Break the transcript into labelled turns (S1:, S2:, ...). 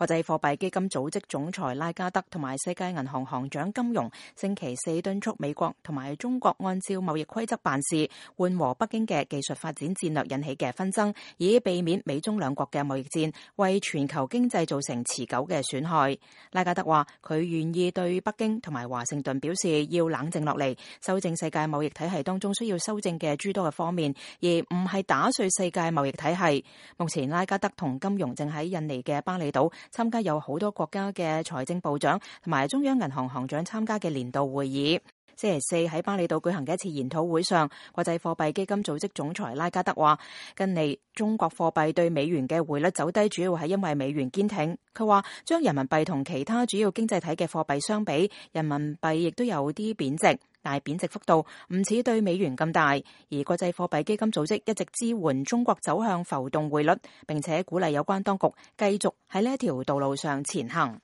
S1: 國際貨幣基金組織總裁拉加德同埋世界銀行行長金融星期四敦促美國同埋中國按照貿易規則辦事，緩和北京嘅技術發展戰略引起嘅紛爭，以避免美中兩國嘅貿易戰為全球經濟造成持久嘅損害。拉加德話佢願意對北京同埋華盛頓表示要冷靜落嚟，修正世界貿易體系當中需要修正嘅諸多嘅方面，而唔係打碎世界貿易體系。目前拉加德同金融正喺印尼嘅巴厘島參加有好多國家嘅財政部長同埋中央銀行行長參加嘅年度會議。星期四喺巴厘島舉行嘅一次研討會上，國際貨幣基金組織總裁拉加德話，近嚟中國貨幣對美元嘅匯率走低，主要係因為美元堅挺。佢話將人民幣同其他主要經濟體嘅貨幣相比，人民幣亦都有啲貶值，但係貶值幅度唔似對美元咁大。而國際貨幣基金組織一直支援中國走向浮動匯率，並且鼓勵有關當局繼續喺呢一條道路上前行。